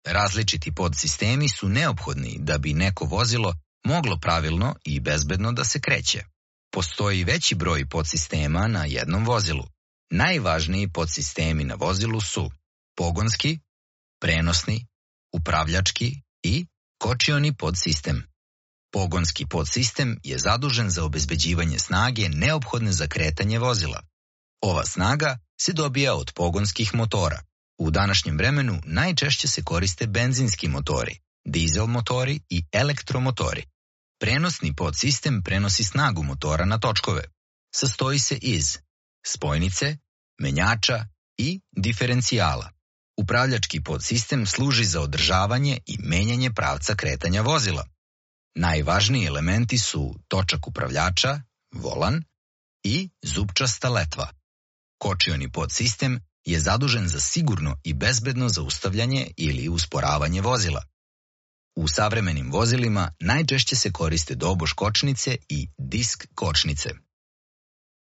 Različiti podsistemi su neophodni da bi neko vozilo moglo pravilno i bezbedno da se kreće. Postoji veći broj podsistema na jednom vozilu. Najvažniji podsistemi na vozilu su pogonski, prenosni, upravljački i kočioni podsistem. Pogonski podsistem je zadužen za obezbeđivanje snage neophodne za kretanje vozila. Ova snaga se dobija od pogonskih motora. U današnjem vremenu najčešće se koriste benzinski motori, dizel motori i elektromotori. Prenosni podsistem prenosi snagu motora na točkove. Sastoji se iz spojnice, menjača i diferencijala. Upravljački podsistem služi za održavanje i menjanje pravca kretanja vozila. Najvažniji elementi su točak upravljača, volan i zupčasta letva. Kočioni podsistem je zadužen za sigurno i bezbedno zaustavljanje ili usporavanje vozila. U savremenim vozilima najčešće se koriste doboš kočnice i disk kočnice.